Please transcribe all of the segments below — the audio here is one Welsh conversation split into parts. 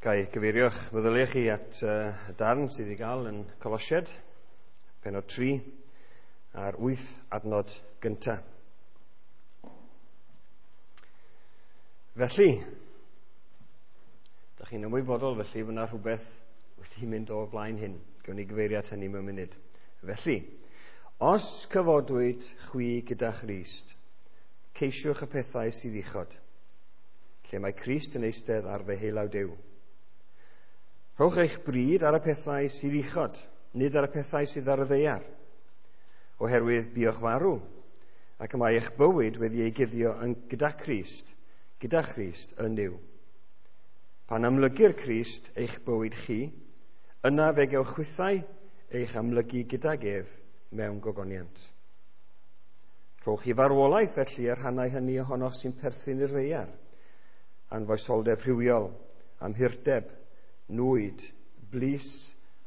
Ga i gyfeirio'ch meddyliau chi at y darn sydd i gael yn Colosied, penod 3, a'r 8 adnod gyntaf. Felly, da chi'n ymwybodol felly fod yna rhywbeth wedi mynd o blaen hyn. Gawn ni gyfeirio at hynny mewn munud. Felly, os cyfodwyd chwi gyda Christ, ceisiwch y pethau sydd uchod, lle mae Crist yn eistedd ar ddeheulaw Duw. Rhowch eich bryd ar y pethau sydd uchod, nid ar y pethau sydd ar y ddaear, oherwydd buoch farw, ac y mae eich bywyd wedi ei guddio yn gyda Christ, gyda Christ yn Nuw. Pan amlygir Crist eich bywyd chi, yna fe gewch chwithau eich amlygu gydag ef mewn gogoniant. Rhowch i farwolaeth felly y rhannau hynny ohonoch sy'n perthyn i'r ddaear, anfoesoldeb rhywiol, amhurdeb, nwyd, blys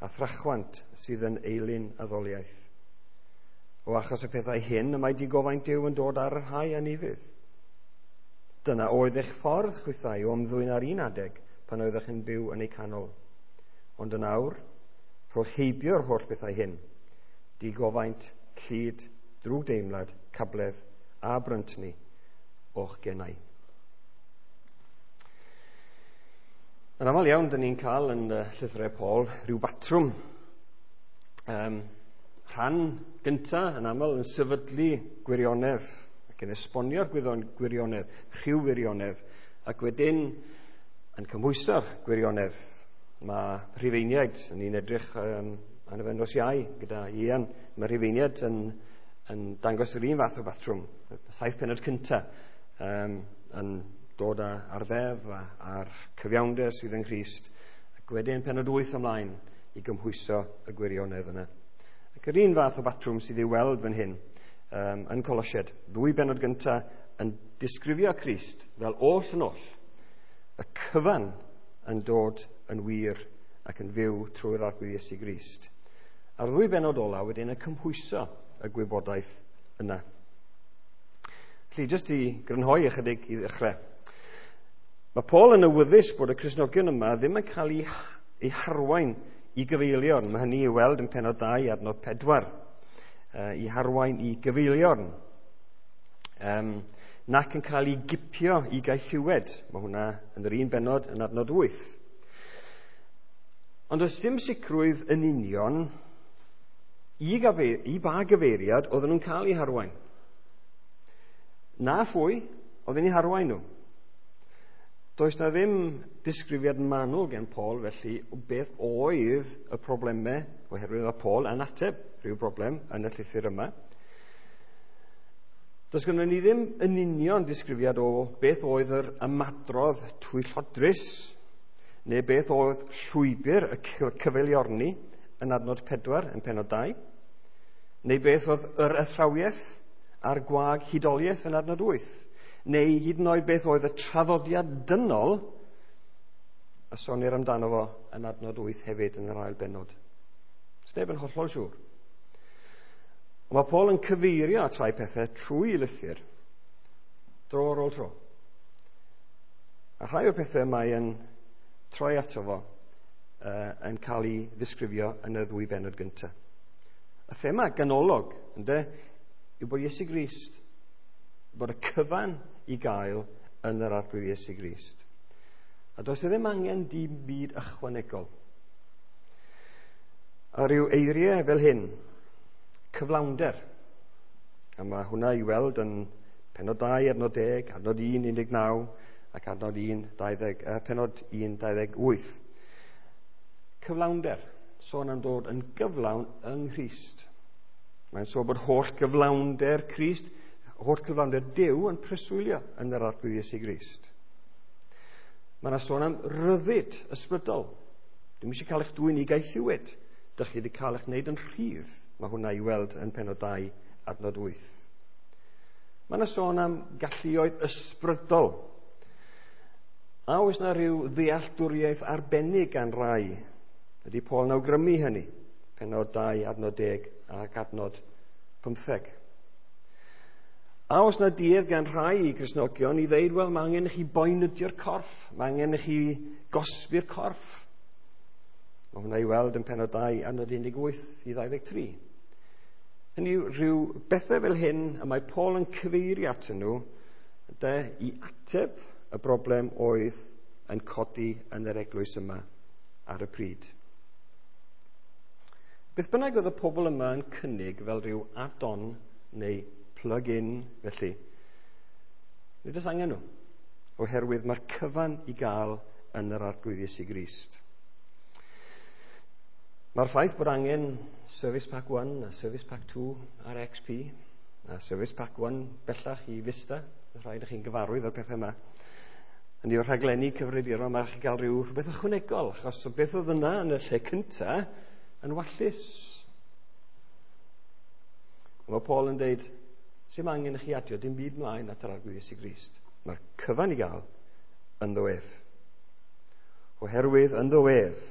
a thrachwant sydd yn eilun addoliaeth. O achos y pethau hyn y mae digofaint Duw yn dod ar y rhai anufudd. Dyna oedd eich ffordd chwithau o ymddwyn ar un adeg pan oeddech yn byw yn eu canol. Ond yn awr, rhowch heibio'r holl bethau hyn, digofaint, llid, drwgdeimlad, cabledd a bryntni o'ch genau. Yn aml iawn, dyn ni'n cael yn llythyrau Paul rhyw batrwm. Rhan gyntaf yn aml yn sefydlu gwirionedd ac yn esbonio'r gwirionedd, rhyw wirionedd, ac wedyn yn cymhwyso'r gwirionedd. Mae Rhufeiniaid, ni'n edrych arno fe nos Iau gyda Ian, mae Rhufeiniaid yn dangos yr un fath o batrwm. Y 7 pennod cyntaf yn dod ar ddeddf a'r cyfiawnder sydd yng Nghrist, ac wedyn pennod 8 ymlaen i gymhwyso y gwirionedd yna. Ac yr un fath o batrwm sydd i'w weld fan hyn yn Colosied. Ddwy bennod gyntaf yn disgrifio Crist fel oll yn oll, y cyfan yn dod yn wir ac yn fyw trwy'r Arglwydd Iesu Grist. A'r ddwy bennod ola wedyn yn cymhwyso y gwybodaeth yna. Felly, jyst i grynhoi ychydig i ddechrau. Mae Paul yn awyddus bod y Cristnogion yma ddim yn cael ei harwain i gyfeiliorn. Mae hynny i'w weld yn pennod 2 adnod 4. I harwain i gyfeiliorn. Nac yn cael ei gipio i gaethiwed. Mae hwnna yn yr un bennod yn adnod 8. Ond does dim sicrwydd yn union i ba gyfeiriad oedden nhw'n cael eu harwain. Na phwy oedd yn eu harwain nhw. Does na ddim disgrifiad manwl gen Paul felly o beth oedd y problemau, oherwydd mae Paul yn ateb rhyw broblem yn y llythyr yma. Does gynnon ni ddim yn union disgrifiad o beth oedd yr ymadrodd twyllodrus, neu beth oedd llwybr y cyfeiliorni yn adnod 4 yn pennod 2, neu beth oedd yr athrawiaeth a'r gwag hudoliaeth yn adnod 8, neu hyd yn oed beth oedd y traddodiad dynol a sonir amdano fo yn adnod 8 hefyd yn yr ail bennod. Sneb yn hollol siŵr. Ond mae Paul yn cyfeirio at rhai pethau trwy lythyr dro ar ôl tro. A rhai o'r pethau mae yn troi ato fo yn cael ei ddisgrifio yn y ddwy bennod gyntaf. Y thema ganolog, ynde, yw bod Iesu Grist, bod y cyfan i gael yn yr Arglwydd Iesu Grist. A does e ddim angen dim byd ychwanegol. A rhyw eiriau fel hyn, cyflawnder. A mae hwnna i weld yn pennod 2, adnod 10, adnod 1, 19, ac adnod 1, 20, pennod 1, 28. Cyflawnder, sôn am dod yn gyflawn yng Nghrist. Mae'n sôn bod holl gyflawnder Crist, holl gyflawnder Duw yn preswylio yn yr Arglwydd Iesu Grist. Mae yna sôn am ryddid ysbrydol. Dwi'm eisiau cael eich dwyn i gaethiwed. Dych chi wedi cael eich wneud yn rhydd. Mae hwnna i weld yn pennod 2, adnod 8. Mae yna sôn am galluoedd ysbrydol. A oes yna rhyw ddealltwriaeth arbennig gan rai? Ydy Paul yn awgrymu hynny? Pennod 2, adnod 10 ac adnod 15. A os na duedd gan rhai Gristnogion i ddeud, wel, mae angen i chi boenydio'r corff, mae angen i chi gosbi'r corff. Mae hwnna i weld yn penod 2, adnod 18 i 23. Hynny yw, rhyw bethau fel hyn y mae Paul yn cyfeirio atyn nhw de, i ateb y broblem oedd yn codi yn yr eglwys yma ar y pryd. Beth bynnag oedd y pobl yma yn cynnig fel rhyw add-on neu plug-in felly, nid oes angen nhw, oherwydd mae'r cyfan i gael yn yr Arglwydd Iesu Grist. Mae'r ffaith bod angen Service Pack 1 a Service Pack 2 ar XP a Service Pack 1 bellach i Vista, mae rhaid i chi'n gyfarwydd o'r pethau yma. Yn yw'r rhaglenni cyfrifiadurol, mae rhaid chi gael rhyw rhywbeth ychwanegol, achos o beth oedd yna yn y lle cynta yn wallus. Mae Paul yn deud, sy'n angen i chi adio dim byd mlaen at yr Arglwydd Iesu Grist. Mae'r cyfan i gael ynddo ef. Oherwydd ynddo ef,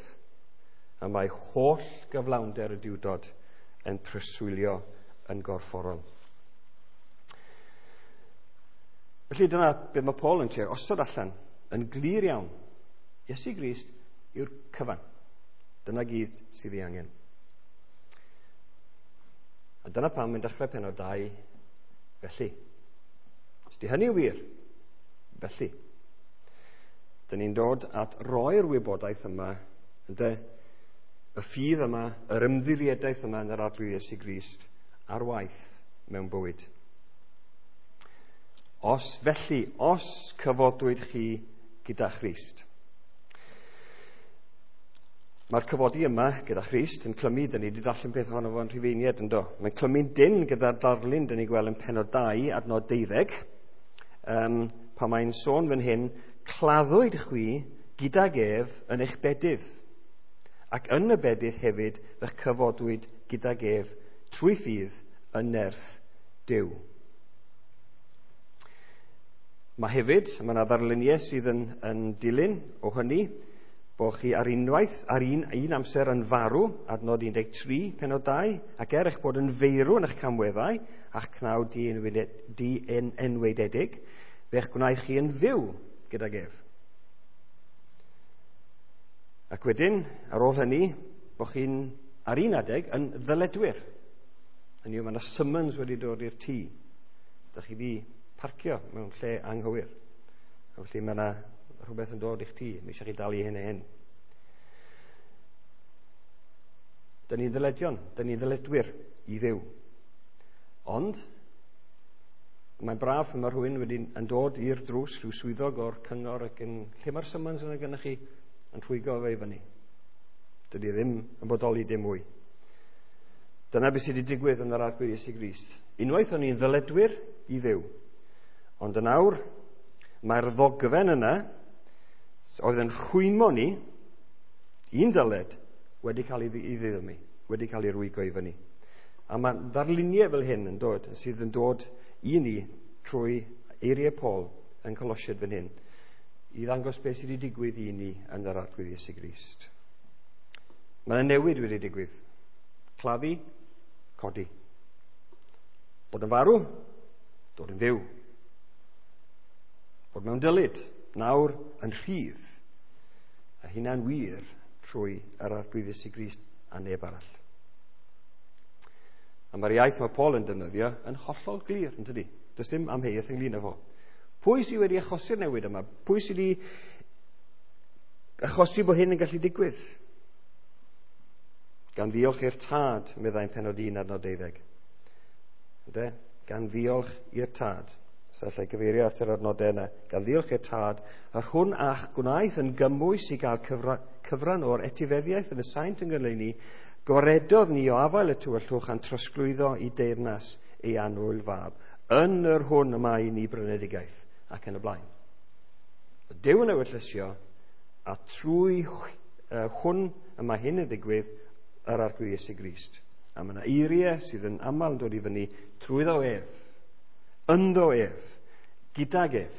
a mae holl gyflawnder y Duwdod yn preswylio yn gorfforol. Felly dyna beth mae Paul yn trio osod allan yn glir iawn. Iesu Grist yw'r cyfan. Dyna gyd sydd ei angen. A dyna pam mae'n dechrau penod 2 felly. Os di hynny wir, felly. Dyn ni'n dod at roi'r wybodaeth yma, ynde, y ffydd yma, yr ymddiriedaeth yma yn yr Arglwydd Iesu Grist ar waith mewn bywyd. Os felly, os cyfodwyd chi gyda Christ. Mae'r cyfodi yma gyda Christ yn clymu, dyn ni wedi darllen peth ohono fo'n Rhufeiniaid yn do. Mae'n clymu'n dyn gyda'r darlun dyn ni'n gweld yn penod 2, adnod 12, pan mae'n sôn fan hyn, claddwyd chwi gydag ef yn eich bedydd, ac yn y bedydd hefyd fe'ch cyfodwyd gydag ef trwy ffydd yn nerth Duw. Mae hefyd, mae yna ddarluniau sydd yn dilyn o hynny, bod chi ar unwaith, ar un amser yn farw, adnod 13, penod 2, ac er eich bod yn feirw yn eich camweddau, a'ch cnawd di-enwaededig, fe'ch gwnaeth chi yn fyw gydag ef. Ac wedyn, ar ôl hynny, bod chi'n ar un adeg yn ddyledwyr. Hynny yw, mae yna summons wedi dod i'r tŷ. Dych chi wedi parcio mewn lle anghywir. A felly mae yna rhywbeth yn dod i'ch tŷ. Mae eisiau chi dalu hyn a hyn. Dyn ni'n ddyledion, dyn ni'n ddyledwyr i Dduw. Ond, mae'n braf pan mae rhywun wedi yn dod i'r drws, rhyw swyddog o'r cyngor ac yn, lle mae'r summons yna gennych chi, yn rhwygo fe i fyny. Dydy ddim yn bodoli dim mwy. Dyna beth sydd wedi digwydd yn yr Arglwydd Iesu Grist. Unwaith o'n i'n ddyledwyr i Dduw, ond yn awr, mae'r ddogfen yna, oedd yn rhwymo ni, un dyled, wedi cael ei ddiddymu, wedi cael ei rwygo i fyny. A mae ddarluniau fel hyn yn dod, sydd yn dod i ni trwy eiriau Paul yn Colosiaid fan hyn, i ddangos beth sydd wedi digwydd i ni yn yr Arglwydd Iesu Grist. Mae yna newid wedi digwydd. Claddu, codi. Bod yn farw, dod yn fyw. Bod mewn dylid, nawr yn rhydd. A hynna'n wir trwy yr Arglwydd Iesu Grist a neb arall. A mae'r iaith mae Paul yn defnyddio yn hollol glir, yn dydi? Does dim amheuaeth ynglyn â fo. Pwy sydd wedi achosi'r newid yma? Pwy sydd wedi achosi bod hyn yn gallu digwydd? Gan ddiolch i'r Tad, meddai'n penod 1 adnod 12. Ynde? Gan ddiolch i'r Tad. Os allai gyfeirio at yr adnodau yna. Gan ddiolch i'r Tad, yr hwn a'ch gwnaeth yn gymwys i gael cyfran o'r etifeddiaeth yn y saint yng Nghyleuni, gwaredodd ni o afael y tywyllwch a'n trosglwyddo i deyrnas ei annwyl fab, yn yr hwn y mae ni brynedigaeth, ac yn y blaen. Duw yn ewyllysio, a trwy hwn y mae hyn yn ddigwydd, yr Arglwydd Iesu Grist. A mae yna eiriau sydd yn aml yn dod i fyny trwyddo ef, ynddo ef, gydag ef.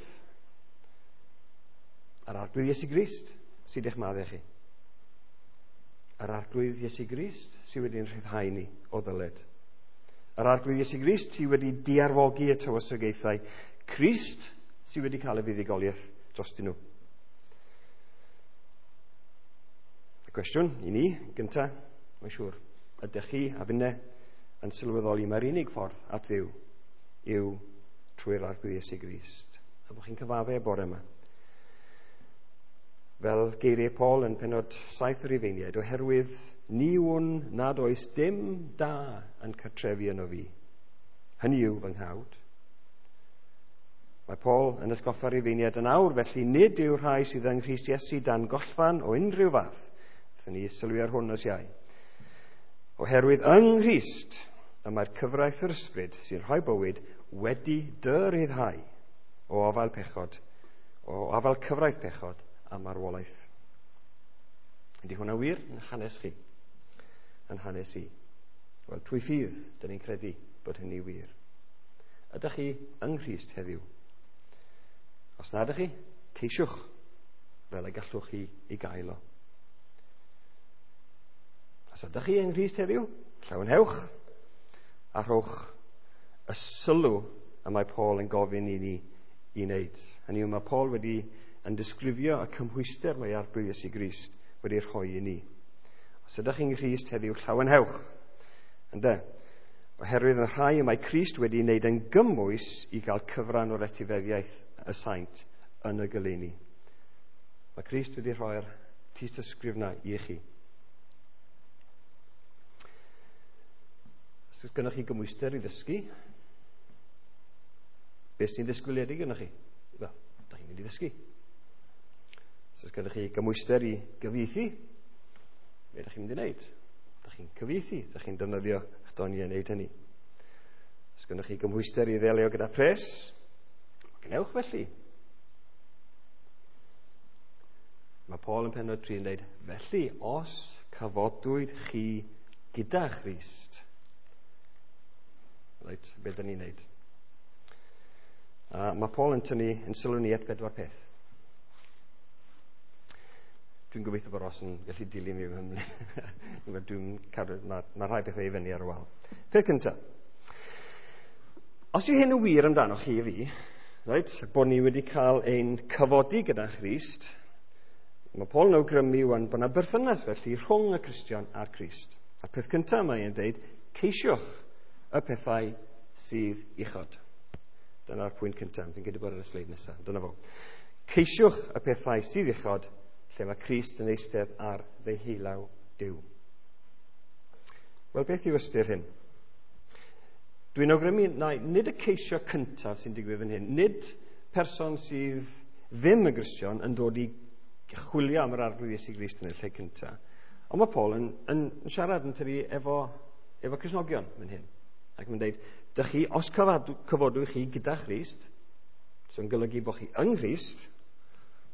Yr Arglwydd Iesu Grist sydd eich maddau chi. Yr Arglwydd Iesu Grist sydd wedi'n rhyddhau ni o ddyled. Yr Arglwydd Iesu Grist sydd wedi diarfogi y tywysogaethau. Crist sydd wedi cael y fuddugoliaeth drostyn nhw. Y cwestiwn i ni, gyntaf, mae'n siŵr, ydych chi a finne yn sylweddoli mae'r unig ffordd at Dduw yw trwy'r Arglwydd Iesu Grist? A bod chi'n cyfadde y bore yma. Fel geiriau Paul yn pennod 7 yr Rufeiniaid, oherwydd ni wn nad oes dim da yn cartrefu yno fi. Hynny yw fy nghnawd. Mae Paul yn atgoffa'r Rufeiniaid yn awr, felly nid yw'r rhai sydd yng Nghrist Iesu dan gollfarn o unrhyw fath. Wnaethon ni sylwi ar hwn nos Iau. Oherwydd yng Nghrist y mae'r cyfraith yr ysbryd sy'n rhoi bywyd wedi dy ryddhau o afael pechod, o afael cyfraith pechod a marwolaeth. Ydy hwnna wir yn hanes chi? Yn hanes i? Wel, trwy ffydd, dyn ni'n credu bod hynny wir. Ydych chi yng Nghrist heddiw? Os na ydych chi, ceisiwch fel y gallwch chi i gael o. Os ydych chi yng Nghrist heddiw, llawenhewch a rhowch y sylw y mae Paul yn gofyn i ni i wneud. Hynny yw, mae Paul wedi yn disgrifio y cymhwyster mae Arglwydd Iesu Grist wedi rhoi i ni. Os ydych chi'n Nghrist heddiw, llawenhewch. Ynde? Oherwydd y rhai y mae Crist wedi wneud yn gymwys i gael cyfran o'r etifeddiaeth y saint yn y goleuni. Mae Crist wedi rhoi'r tystysgrif na i chi. Os oes gennych chi gymwyster i ddysgu, beth sy'n ddisgwyliedig gyda chi? Wel, da chi'n mynd i ddysgu. Os oes gennych chi gymwyster i gyfieithu, be ydych chi'n mynd i wneud? Da chi'n cyfieithu, da chi'n defnyddio eich doniau i wneud hynny. Os gennych chi gymhwyster i ddelio gyda pres, gwnewch felly. Mae Paul yn pennod 3 yn dweud, felly, os cyfodwyd chi gyda Christ, reit, be dyn ni'n neud? Mae Paul yn tynnu yn sylw ni at bedwar peth. Dwi'n gobeithio bod Ross yn gallu dilyn fi fan hyn. Dwi'n cadw, mae rhai pethau i fyny ar y wal. Peth cyntaf. Os yw hyn yn wir amdano chi a fi, right, bod ni wedi cael ein cyfodi gyda Christ, mae Paul yn awgrymu wan bod yna berthynas felly rhwng y Cristion a'r Crist. A'r peth cyntaf mae e'n dweud, ceisiwch y pethau sydd uchod. Dyna'r pwynt cyntaf. Fi'n credu bod ar y sleid nesaf. Dyna fo. Ceisiwch y pethau sydd uchod, lle mae Crist yn eistedd ar ddeheulaw Duw. Wel, beth yw ystyr hyn? Dwi'n awgrymu na nid y ceisio cyntaf sy'n digwydd fan hyn. Nid person sydd ddim yn Gristion yn dod i chwilio am yr Arglwydd Iesu Grist yn y lle cyntaf. Ond mae Paul yn siarad yn tyfu efo Cristnogion fan hyn. Ac mae'n dweud, dych chi, os cyfodwch chi gyda Christ, sy'n golygu bod chi yng Nghrist,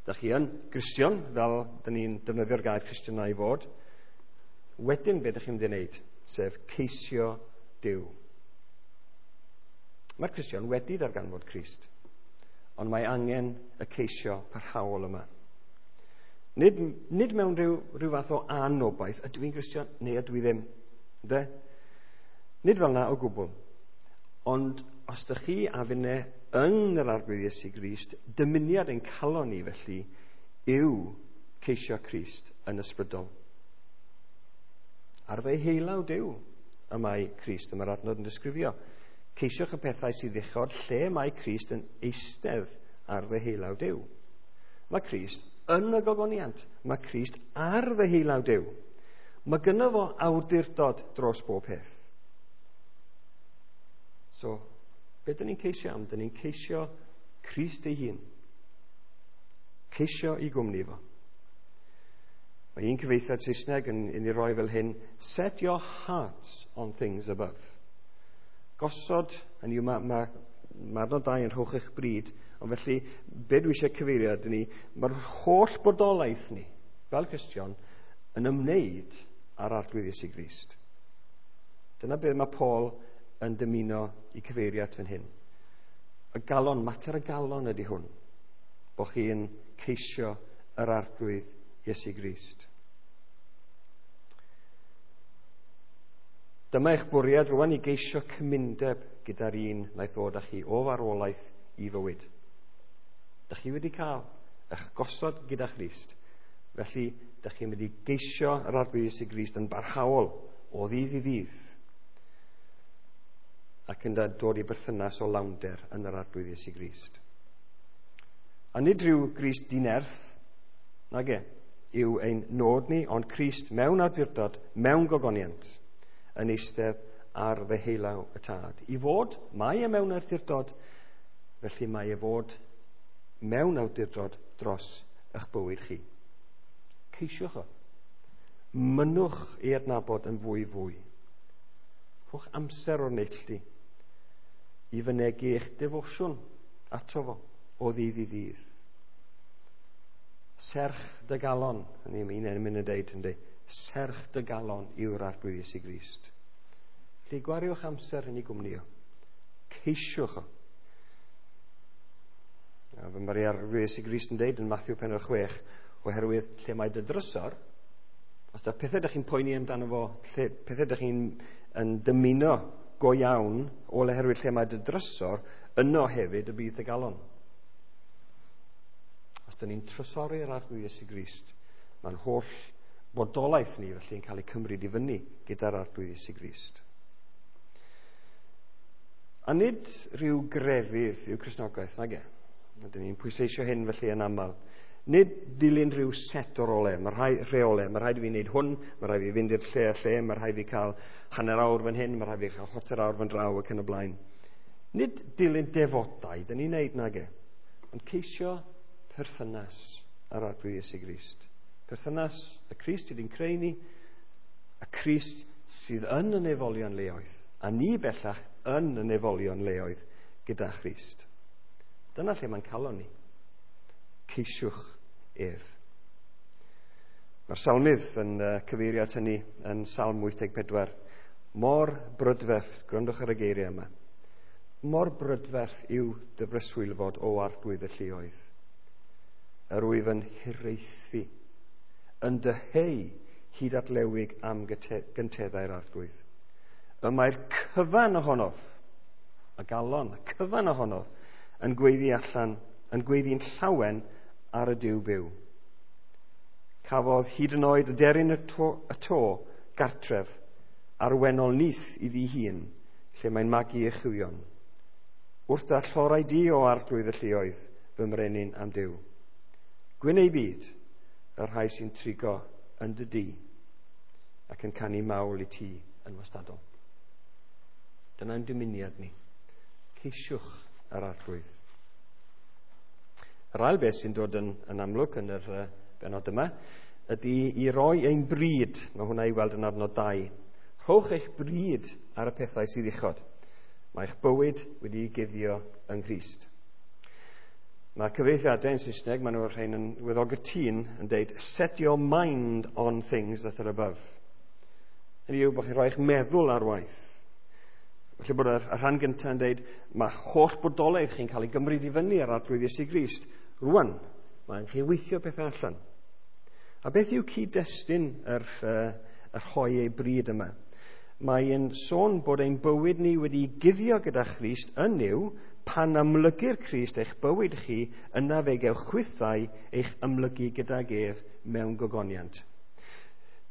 dych chi yn Gristion, fel dyn ni'n defnyddio'r gair Cristion i fod, wedyn be dych chi'n mynd i wneud, sef ceisio Duw. Mae'r Cristion wedi darganfod Crist, ond mae angen y ceisio parhaol yma. Nid mewn rhyw fath o anobaith, ydw i'n Gristion neu ydw i ddim. Ynde? Nid fel yna o gwbl. Ond os ydych chi a finne yng yr Arglwydd Iesu Grist, dymuniad ein calon ni felly yw ceisio Crist yn ysbrydol. Ar ddeheulaw Duw y mae Crist, y mae'r adnod yn disgrifio. Ceisiwch y pethau sydd uchod lle mae Crist yn eistedd ar ddeheulaw Duw. Mae Crist yn y gogoniant. Mae Crist ar ddeheulaw Duw. Mae gynno fo awdurdod dros bob peth. So, be dyn ni'n ceisio am? Dyn ni'n ceisio Crist ei hun. Ceisio i gwmni fo. Mae un cyfieithiad Saesneg yn ei roi fel hyn, set your hearts on things above. Gosod, hynny yw, mae adnod 2 yn rhowch eich bryd, ond felly, be dwi eisiau cyfeirio ydyn ni, mae'r holl bodolaeth ni, fel Cristion, yn ymwneud â'r Arglwydd Iesu Grist. Dyna beth mae Paul yn dymuno i cyfeirio at fan hyn. Y galon, mater y galon ydy hwn, bod chi'n ceisio yr Arglwydd Iesu Grist. Dyma eich bwriad rwan i geisio cymundeb gyda'r un wnaeth ddod â chi o farwolaeth i fywyd. Dych chi wedi cael eich gosod gyda Christ. Felly, dych chi'n mynd i geisio yr Arglwydd Iesu Grist yn barhaol o ddydd i ddydd ac yn dod i berthynas o lawnder yn yr Arglwydd Iesu Grist. A nid rhyw Grist dinerth, nage, yw ein nod ni, ond Crist mewn awdurdod, mewn gogoniant, yn eistedd ar ddeheulaw y Tad. I fod, mae e mewn awdurdod, felly mae e fod mewn awdurdod dros eich bywyd chi. Ceisiwch o. Mynnwch ei adnabod yn fwy fwy. Rhowch amser o'r neilltu i fynegi eich defosiwn ato fo o ddydd i ddydd. Serch dy galon, hynny yw, un emyn yn deud, yndi, serch dy galon yw'r Arglwydd Iesu Grist. Felly gwariwch amser yn ei gwmni o. Ceisiwch o. A fy mae'r Arglwydd Iesu Grist yn deud yn Matthew pennod 6, oherwydd lle mae dy drysor, os da pethau ydych chi'n poeni amdano fo, lle, pethau ydych chi'n yn dymuno go iawn, o oherwydd lle mae dy drysor, yno hefyd y bydd dy galon. Os dyn ni'n trysori'r Arglwydd Iesu Grist, mae'n holl bodolaeth ni felly yn cael ei cymryd i fyny gyda'r Arglwydd Iesu Grist. A nid rhyw grefydd yw Cristnogaeth, nage. Dyn ni'n pwysleisio hyn felly yn aml. Nid dilyn rhyw set o rolau, mae rhai rheolau, mae rhaid i fi wneud hwn, mae rhaid i fi fynd i'r lle a lle, mae rhaid i fi cael hanner awr fan hyn, mae rhaid i fi cael chwarter awr fan draw ac yn y blaen. Nid dilyn defodau, dyn ni'n wneud nage, ond ceisio perthynas ar Arglwydd Iesu Grist. Perthynas y Crist sydd wedi'n creu ni, y Crist sydd yn y nefolion leoedd, a ni bellach yn y nefolion leoedd gyda Christ. Dyna lle mae'n calon ni. Ceisiwch ef. Mae'r salmydd yn cyfeirio at hynny yn Salm 84. Mor brydferth, gwrandwch ar y geiriau yma, mor brydferth yw dy breswylfod o Arglwydd y lluoedd. Yr wyf yn hiraethu, yn dyheu hyd at lewig am gynteddau'r Arglwydd. Y mae'r cyfan ohonof, y galon, y cyfan ohonof, yn gweiddi allan, yn gweiddi'n llawen ar y Duw byw. Cafodd hyd yn oed y deryn y to gartref arwennol nyth iddi hun, lle mae'n magu ei chywion. Wrth dy allorau di o Arglwydd y lluoedd, fy mrenin am Duw. Gwyn ei byd, y rhai sy'n trigo yn dy dŷ ac yn canu mawl i ti yn wastadol. Dyna'n dymuniad ni. Ceisiwch yr Arglwydd. Yr ail beth sy'n dod yn amlwg yn yr bennod yma ydy i roi ein bryd. Mae hwnna i weld yn adnod 2. Rhowch eich bryd ar y pethau sydd uchod. Mae eich bywyd wedi'i guddio yng Nghrist. Mae cyfieithiadau yn Saesneg, maen nhw'r rhain yn weddol gytûn, yn deud, set your mind on things that are above. Hynny yw bod chi'n rhoi eich meddwl ar waith. Felly bod y rhan gyntaf yn deud, mae holl bodolaeth chi'n cael ei gymryd i fyny ar Arglwydd Iesu Grist. Rwan, mae'n chi weithio pethau allan. A beth yw cyd-destun yr rhoi ei bryd yma? Mae'n sôn bod ein bywyd ni wedi guddio gyda Christ yn Nuw, pan amlygir Crist eich bywyd chi, yna fe gewch chwithau eich amlygu gydag ef mewn gogoniant.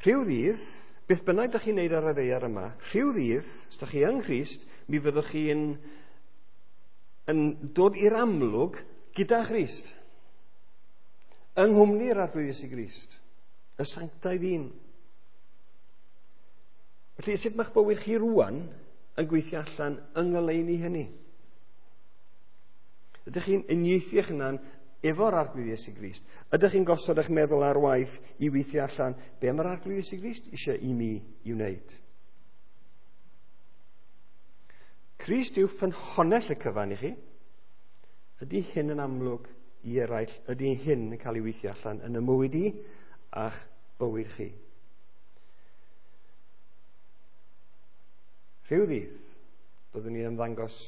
Rhyw ddydd, beth bynnag ydych chi'n neud ar y ddaear yma, rhyw ddydd, os ydych chi yng Nghrist, mi fyddwch chi'n yn dod i'r amlwg gyda Christ. Yng nghwmni'r Arglwydd Iesu Grist, y sanctaidd un. Felly, sut mae'ch bywyd chi rwan yn gweithio allan yng ngoleuni hynny? Ydych chi'n uniaethu eich hunan efo'r Arglwydd Iesu Grist? Ydych chi'n gosod eich meddwl ar waith i weithio allan be mae'r Arglwydd Iesu Grist eisiau i mi i wneud? Crist yw ffynhonnell y cyfan i chi. Ydy hyn yn amlwg i eraill? Ydy hyn yn cael ei weithio allan yn y mywyd i a'ch bywyd chi? Rhyw ddydd byddwn ni'n ymddangos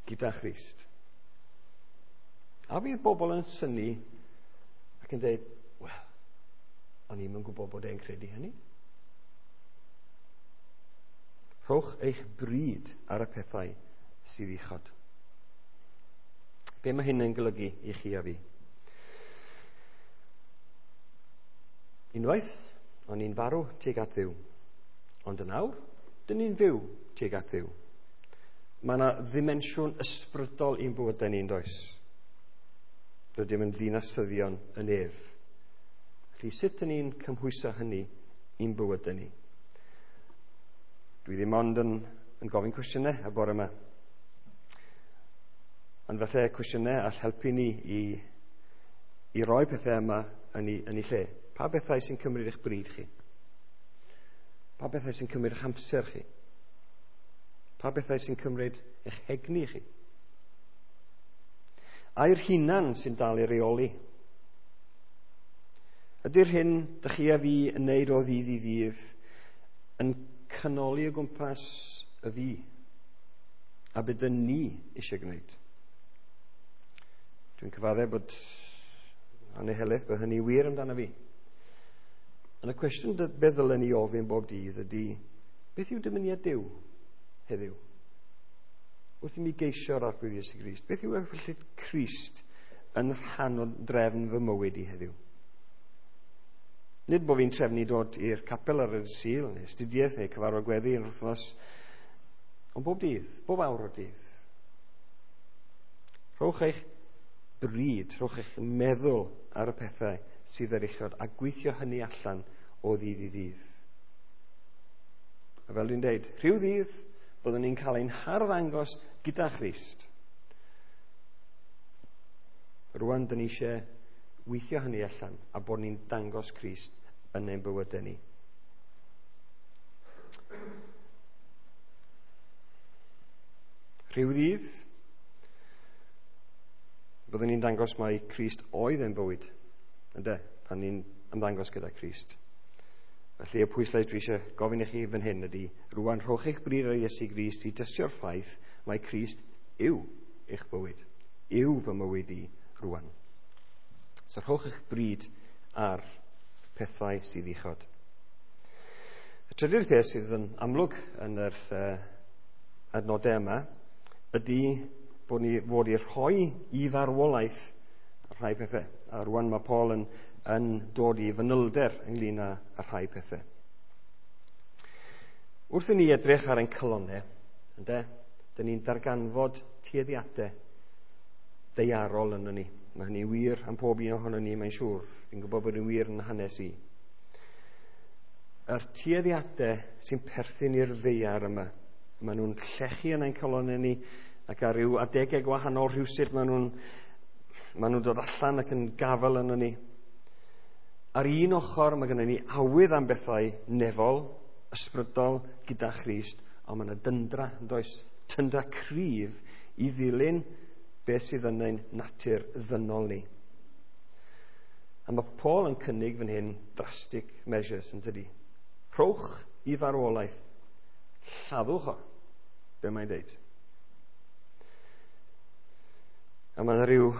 gyda Christ. A fydd bobl yn synnu ac yn dweud, wel, o'n i'm yn gwybod bod e'n credu hynny. Rhowch eich bryd ar y pethau sydd uchod. Be mae hyn yn golygu i chi a fi? Unwaith, o'n i'n farw tuag at Dduw. Ond yn awr, dyn ni'n fyw tuag at Dduw. Mae yna ddimensiwn ysbrydol i'n bywydau ni'n does? Rydym yn ddinasyddion y nef. Felly sut dyn ni'n cymhwyso hynny i'n bywydau ni? Dwi ddim ond yn gofyn cwestiynau y bore yma. Ond falle cwestiynau all helpu ni i roi pethau yma yn ei lle. Pa bethau sy'n cymryd eich bryd chi? Pa bethau sy'n cymryd eich amser chi? Pa bethau sy'n cymryd eich egni chi? Ai'r hunan sy'n dal i reoli? Ydy'r hyn dych chi a fi yn neud o ddydd i ddydd yn canoli o gwmpas y fi a beth dyn ni eisiau gwneud? Dwi'n cyfadde bod anhelaeth bod hynny wir amdano fi. Ond y cwestiwn beth ddylen ni ofyn bob dydd ydy, beth yw dymuniad Duw heddiw? Wrth i mi geisio'r Arglwydd Iesu Grist, beth yw ewyllys Crist yn rhan o drefn fy mywyd i heddiw? Nid bod fi'n trefnu dod i'r capel ar y Sul, neu astudiaeth, neu cyfarfod gweddi yn wythnos, ond bob dydd, bob awr o'r dydd. Rhowch eich bryd, rhowch eich meddwl ar y pethau sydd ar uchod a gweithio hynny allan o ddydd i ddydd. A fel dwi'n deud, rhyw ddydd byddwn ni'n cael ein harddangos gyda Christ. Rwan, dyn ni eisiau weithio hynny allan a bod ni'n dangos Crist yn ein bywydau ni. Rhyw ddydd, byddwn ni'n dangos mai Crist oedd ein bywyd, ynde, pan ni'n ymddangos gyda Crist. Felly y pwyslais dwi eisiau gofyn i chi fan hyn ydy, rwan rhowch eich bryd ar Iesu Grist i dystio'r ffaith mai Crist yw eich bywyd, yw fy mywyd i rwan. So rhowch eich bryd ar pethau sydd uchod. Y trydydd peth sydd yn amlwg yn yr adnodau yma ydy bod ni fod i rhoi i farwolaeth rhai pethau. A rwan mae Paul yn dod i fanylder ynglyn â rhai pethau. Wrth i ni edrych ar ein calonnau, ynde, dyn ni'n darganfod tueddiadau daearol yno ni. Mae hynny'n wir am pob un ohono ni, mae'n siŵr. Fi'n gwybod bod yn wir yn hanes i. Yr tueddiadau sy'n perthyn i'r ddaear yma, maen nhw'n llechu yn ein calonnau ni, ac ar ryw adegau gwahanol rhywsut maen nhw'n dod allan ac yn gafael yno ni. Ar un ochr mae gennym ni awydd am bethau nefol, ysbrydol gyda Christ, ond mae yna dyndra, yn does? Tyndra cryf i ddilyn beth sydd yn ein natur ddynol ni. A mae Paul yn cynnig fan hyn drastic measures, yn tydi? Rhowch i farwolaeth, lladdwch o, be mae'n deud. A mae yna rhyw,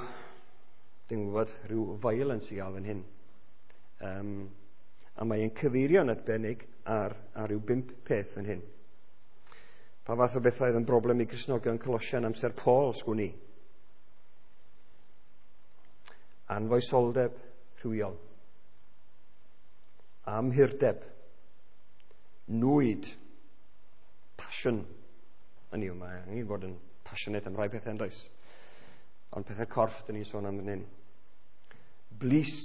dwi'n gwybod, rhyw violence i gael fan hyn. A mae'n cyfeirio'n arbennig ar ryw 5 peth fan hyn. Pa fath o bethau oedd yn broblem i Gristnogion Colosian amser Paul, sgwn i? Anfoesoldeb rhywiol, amhurdeb, nwyd, passion. Hynny yw, mae angen bod yn passionate am rai pethau yn does? Ond pethau corff, dyn ni'n sôn am fan hyn. Blys,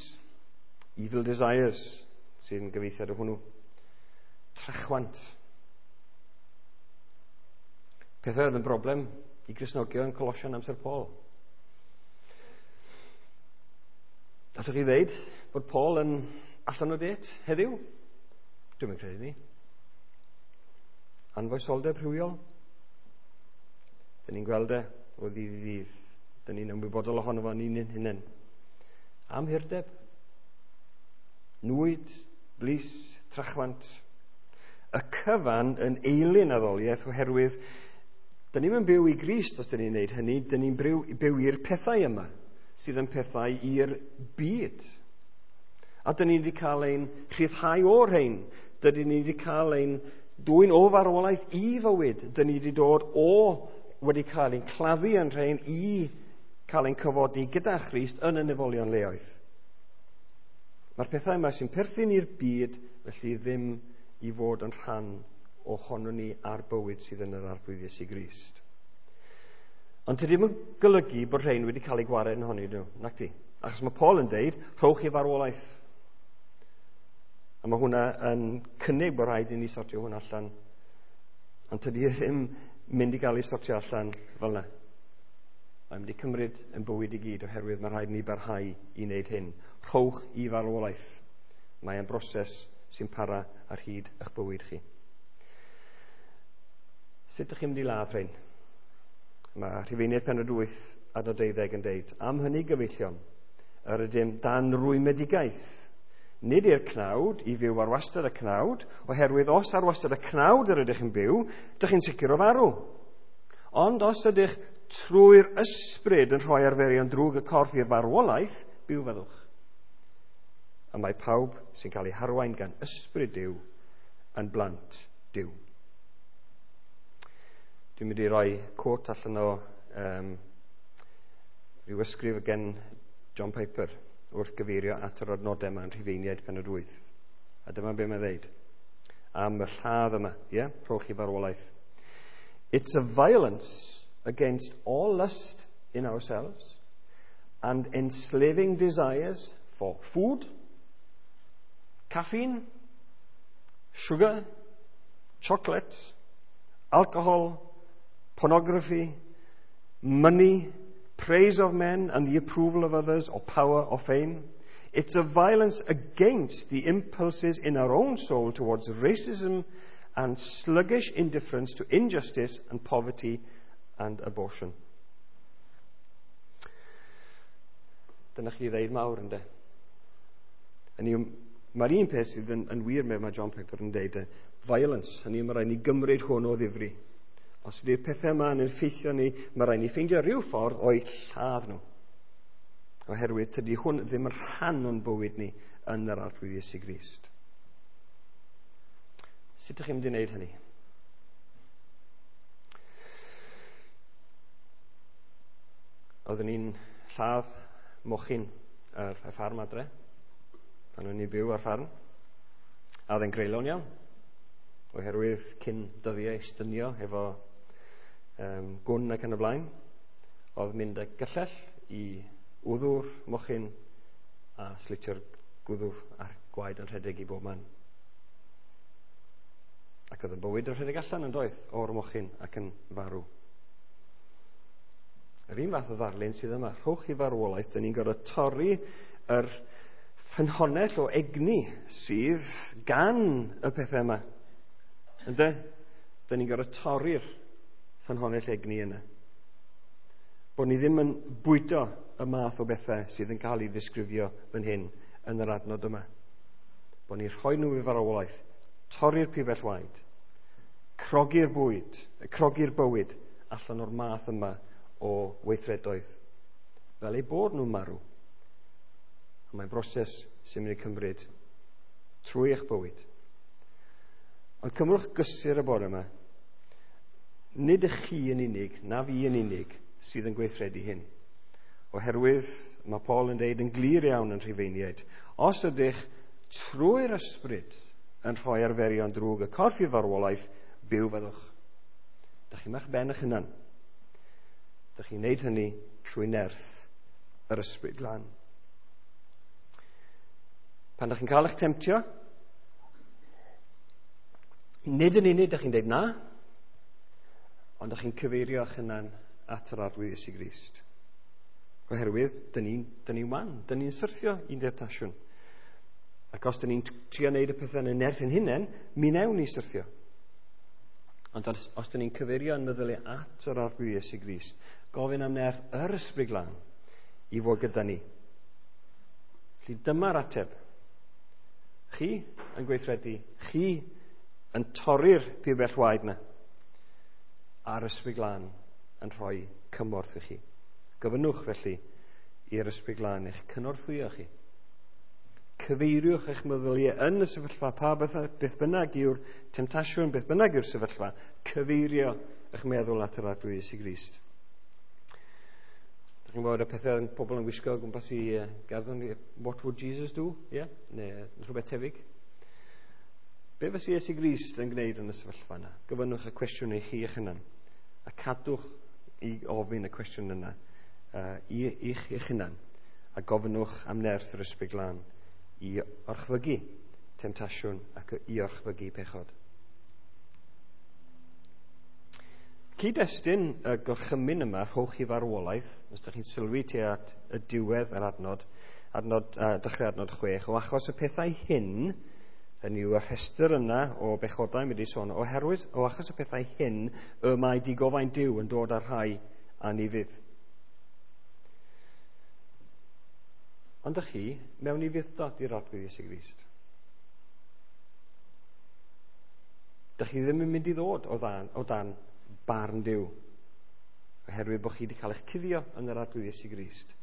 evil desires, sy'n gyfeithiad o hwnnw. Trachwant. Pethau oedd yn broblem i Gristnogion Colosian amser Paul. Allwch chi ddeud bod Paul yn allan o date heddiw? Dwi'm yn credu ni. Anfoesoldeb rhywiol. Dyn ni'n gweld e o ddydd i ddydd. Dyn ni'n ymwybodol ohono fo ni'n hunain. Amhurdeb, nwyd, blys, trachwant. Y cyfan yn eilun addoliaeth oherwydd dyn ni'm yn byw i Grist os dyn ni'n neud hynny, dyn ni'n byw i'r pethau yma sydd yn pethau i'r byd. A dyn ni wedi cael ein rhyddhau o'r rhain. Dyn ni wedi cael ein dwyn o farwolaeth i fywyd. Dyn ni wedi dod o wedi cael ein claddu yn rhain i cael ein cyfodi gyda Christ yn y nefolion leoedd. Mae'r pethau yma sy'n perthyn i'r byd, felly ddim i fod yn rhan ohono ni a'r bywyd sydd yn yr Arglwydd Iesu Grist. Ond tydi ddim yn golygu bod rhain wedi cael eu gwared yn honni nhw, nac di? Achos mae Paul yn deud, rhowch i farwolaeth. A mae hwnna yn cynnig bod rhaid i ni sortio hwnna allan. Ond tydi ddim mynd i gael ei sortio allan fel yna. Mae'n mynd i cymryd yn bywyd i gyd oherwydd mae rhaid ni barhau i wneud hyn. Rhowch i farwolaeth. Mae'n broses sy'n para ar hyd eich bywyd chi. Sut ydych chi'n mynd i ladd rhain? Mae Rhufeiniaid penod 8 adnod 12 yn deud, am hynny gyfeillion, yr ydym dan rwymedigaeth, nid i'r cnawd, i fyw ar wastad y cnawd, oherwydd os ar wastad y cnawd yr ydych yn byw, ydych chi'n sicr o farw. Ond os ydych trwy'r ysbryd yn rhoi arferion drwg y corff i'r farwolaeth, byw fyddwch. A mae pawb sy'n cael ei harwain gan ysbryd Duw yn blant Duw. Dwi'n mynd i roi quote allan o rhyw ysgrif gen John Piper wrth gyfeirio at yr adnodau yma yn Rhufeiniaid penod 8. A dyma be mae'n dweud am y lladd yma, ie? Yeah? Rhowch i farwolaeth. It's a violence against all lust in ourselves and enslaving desires for food, caffeine, sugar, chocolate, alcohol, pornography, money, praise of men and the approval of others, or power or fame. It's a violence against the impulses in our own soul towards racism and sluggish indifference to injustice and poverty and abortion. Dyna chi ddeud mawr, ynddo? Mae'r un peth sydd yn wir mae John Piper yn deud, violence, hynny mae rhaid ni gymryd hwn o ddifri. Os ydy'r pethau yma yn effeithio ni, mae rhaid ni ffeindio rhyw ffordd o'i lladd nhw. Oherwydd tydi hwn ddim yn rhan o'n bywyd ni yn yr Arglwydd Iesu Grist. Sut ydych chi'n mynd i wneud hynny? Oeddwn ni'n lladd mochyn ar y ffarm adre, pan o'n i'n byw ar ffarm. A oedd e'n greulon iawn, oherwydd cyn dyddiau stynio efo gwn ac yn y blaen, oedd mynd â gyllell i wddw'r mochyn a slitio'r gwddw a'r gwaed yn rhedeg i bob man. Ac oedd y bywyd yn rhedeg allan yn doedd o'r mochyn ac yn farw. Yr un fath o ddarlun sydd yma, rhowch i farwolaeth, dyn ni'n gorfod torri yr ffynhonnell o egni sydd gan y pethau yma. Ynde? Dyn ni'n gorfod torri'r ffynhonnell egni yna. Bod ni ddim yn bwydo y math o bethau sydd yn cael ei ddisgrifio fan hyn yn yr adnod yma. Bod ni'n rhoi nhw i farwolaeth, torri'r pibell waed, crogi'r bwyd, crogi'r bywyd allan o'r math yma o weithredoedd, fel eu bod nhw'n marw. A mae'n broses sy'n mynd i cymryd trwy eich bywyd. Ond cymrwch gysur y bore yma. Nid ych chi yn unig, na fi yn unig, sydd yn gweithredu hyn. Oherwydd, mae Paul yn deud yn glir iawn yn Rhufeiniaid, os ydych trwy'r ysbryd yn rhoi arferion drwg y corff i farwolaeth, byw fyddwch. Dych chi'n eich ben eich hunan. Dych chi'n neud hynny trwy nerth yr ysbryd glân. Pan dych chi'n cael eich temtio, nid yn unig dych chi'n deud na, ond dych chi'n cyfeirio eich hunan at yr Arglwydd Iesu Grist. Oherwydd, dyn ni'n wan, dyn ni'n syrthio i'n demtasiwn. Ac os dyn ni'n trio wneud y pethau yn y nerth ein hunain, mi newn ni syrthio. Ond os dyn ni'n cyfeirio yn meddyliau at yr Arglwydd Iesu Grist, gofyn am nerth yr Ysbryd Glân i fod gyda ni. Felly dyma'r ateb. Chi yn gweithredu, chi yn torri'r pibell waed na, a'r Ysbryd Glân yn rhoi cymorth i chi. Gofynnwch felly i'r Ysbryd Glân eich cynorthwyo chi Cyfeiriwch eich meddyliau yn y sefyllfa, pa beth bynnag yw'r temtasiwn, beth bynnag yw'r sefyllfa, cyfeirio eich meddwl at yr Arglwydd Iesu Grist. Dych chi'n gwybod y pethau pobl yn gwisgo o gwmpas i garddon, "What would Jesus do?" Yeah? Neu rhywbeth tebyg. Be fysa Iesu Grist yn gwneud yn y sefyllfa yna? Gofynnwch y cwestiwn i chi eich hunan. A cadwch i ofyn y cwestiwn yna i eich hunan. A gofynnwch am nerth yr Ysbryd Glân i orchfygu temtasiwn ac i orchfygu pechod. Cyd-destun y gorchymyn yma, "Rhowch i farwolaeth", os ydych chi'n sylwi tuag at y diwedd yr adnod, dechrau adnod 6, o achos y pethau hyn, hynny yw y rhestr yna o bechodau wedi sôn, oherwydd o achos y pethau hyn y mae digofaint Duw yn dod ar rhai anufudd. Ond ydych chi mewn ufudd-dod i'r Arglwydd Iesu Grist? Dych chi ddim yn mynd i ddod o dan barn Duw, oherwydd bod chi wedi cael eich cuddio yn yr Arglwydd Iesu Grist.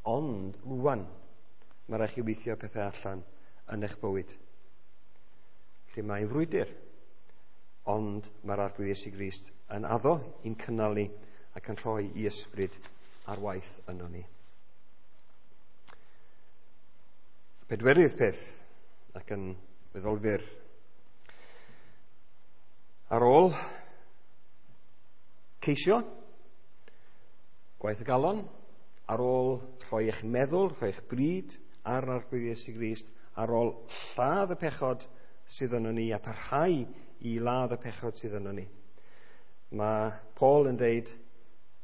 Ond rwan, mae rhaid chi weithio pethau allan yn eich bywyd. Lle mae'n frwydr, ond mae'r Arglwydd Iesu Grist yn addo i'n cynnal ni ac yn rhoi i ysbryd ar waith yno ni. Pedwerydd peth, ac yn weddol fyr. Ar ôl ceisio, gwaith y galon, ar ôl rhoi eich meddwl, rhoi eich bryd ar Arglwydd Iesu Grist, ar ôl lladd y pechod sydd yno ni a parhau i ladd y pechod sydd yno ni, mae Paul yn deud,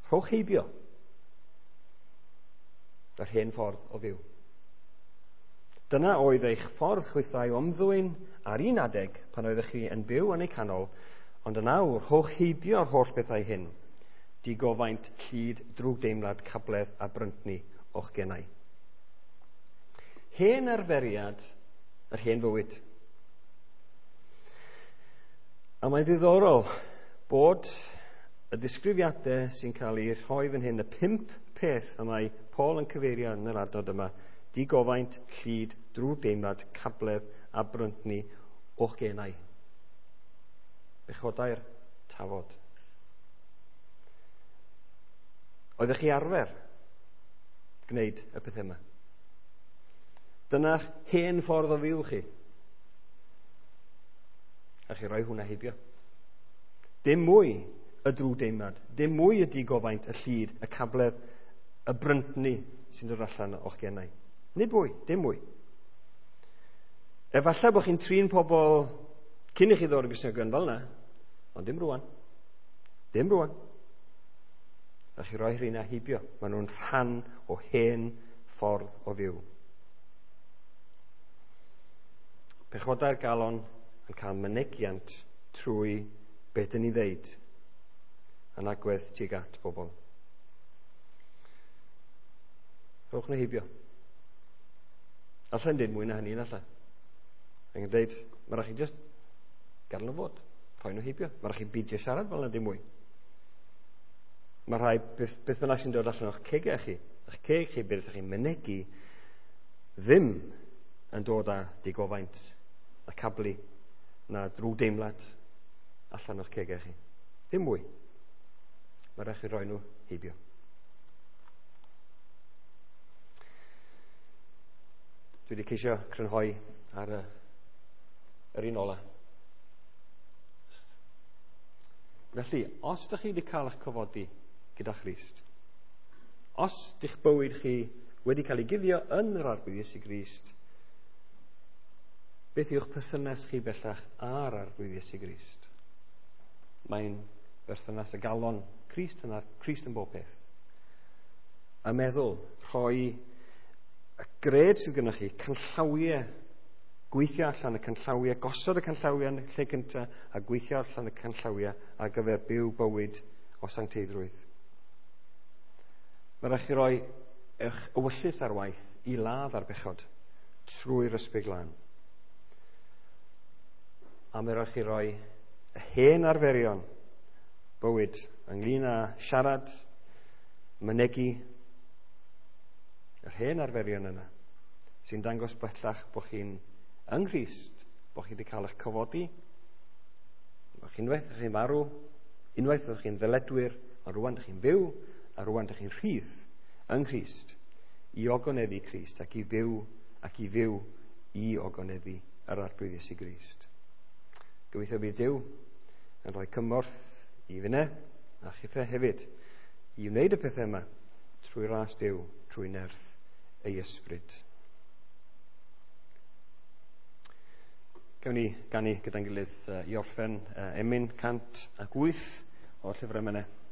rhowch heibio yr hen ffordd o fyw. Dyna oedd eich ffordd chwithau o ymddwyn ar un adeg pan oeddech chi yn byw yn eu canol, ond yn awr, rhowch heibio'r holl bethau hyn: digofaint, llid, drwgdeimlad, cabledd a bryntni o'ch genau. Hen arferiad yr hen fywyd. A mae'n ddiddorol bod y disgrifiadau sy'n cael eu rhoi fan hyn, y pump peth y mae Paul yn cyfeirio yn yr adnod yma, digofaint, llid, drwgdeimlad, cabledd a bryntni o'ch genau. Bechodau'r tafod. Oeddech chi arfer gwneud y pethau yma? Dyna'ch hen ffordd o fyw chi. A chi roi hwnna heibio. Dim mwy y drwgdeimlad, dim mwy y digofaint, y llid, y cabledd, y bryntni sy'n dod allan o'ch genau. Nid mwy, dim mwy. Efallai bod chi'n trin pobl cyn i chi ddod yn Gristnogion fel yna, ond dim rwan. Dim rwan. A chi roi rheina heibio. Maen nhw'n rhan o hen ffordd o fyw. Pechodau'r galon yn cael mynegiant trwy beth dyn ni ddeud yn agwedd tuag at bobl. Rhowch nhw heibio. Allai'n dweud mwy na hynny, allai. Ac yn dweud, mae rhaid chi just gadael nhw fod. Rhoi nhw heibio. Mae rhaid chi beidio siarad fel yna dim mwy. Mae rhai, beth bynnag sy'n dod allan o'ch cegau chi, eich ceg chi, beth ydych chi'n mynegu, ddim yn dod â digofaint a cablu na drwgdeimlad allan o'ch cegau chi. Dim mwy. Mae rhaid chi roi nhw heibio. Dwi wedi ceisio crynhoi ar yr un ola. Felly, os ydych chi wedi cael eich cyfodi gyda Christ, os dych bywyd chi wedi cael ei guddio yn yr Arglwydd Iesu Grist, beth yw'ch perthynas chi bellach â'r Arglwydd Iesu Grist? Mae'n berthynas y galon, Crist yn, Crist yn bob peth. Y meddwl, rhoi y gred sydd gennych chi, canllawiau, gweithio allan y canllawiau, gosod y canllawiau yn y lle cyntaf a gweithio allan y canllawiau ar gyfer byw bywyd o sancteiddrwydd. Mae rhaid chi roi eich ewyllys ar waith i ladd ar bechod trwy'r Ysbryd Glân. A mae rhaid chi roi hen arferion bywyd ynglyn â siarad, mynegu, yr hen arferion yna. sy'n dangos bellach bod chi'n yng Nghrist, bod chi wedi cael eich cyfodi, bod chi'n unwaith ydych chi'n marw, unwaith ydych chi'n ddyledwyr, a rwan ydych chi'n fyw, a rwan ydych chi'n rhydd yng Nghrist i ogoneddu Crist ac i fyw ac i fyw i ogoneddu yr Arglwydd Iesu Grist. Gobeithio bydd Duw yn rhoi cymorth i finne a chithe hefyd i wneud y pethau yma trwy ras Duw, trwy nerth ei ysbryd. Gawn ni ganu gyda'n gilydd i orffen emyn 108 o'r llyfr emynau.